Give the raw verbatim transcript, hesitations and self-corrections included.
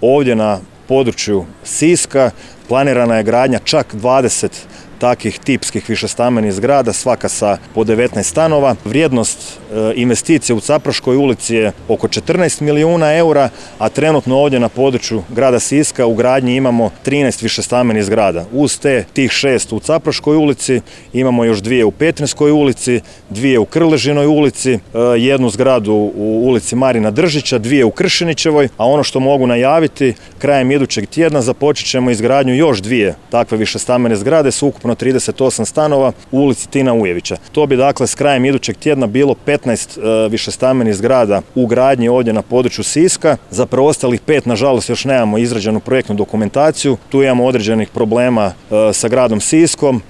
Ovdje na području Siska planirana je gradnja čak dvadeset takih tipskih višestambenih zgrada, svaka sa po devetnaest stanova. Vrijednost e, investicije u Capraškoj ulici je oko četrnaest milijuna eura, a trenutno ovdje na području grada Siska u gradnji imamo trinaest višestambenih zgrada. Uz te tih šest u Capraškoj ulici imamo još dvije u Petrinskoj ulici, dvije u Krležinoj ulici, e, jednu zgradu u ulici Marina Držića, dvije u Kršinićevoj, a ono što mogu najaviti, krajem idućeg tjedna započet ćemo izgradnju još dvije takve višestambene zgrade s ukupno trideset osam stanova u ulici Tina Ujevića. To bi dakle s krajem idućeg tjedna bilo petnaest e, višestambenih zgrada u gradnji ovdje na području Siska. Za preostalih pet, nažalost, još nemamo izrađenu projektnu dokumentaciju. Tu imamo određenih problema e, sa gradom Siskom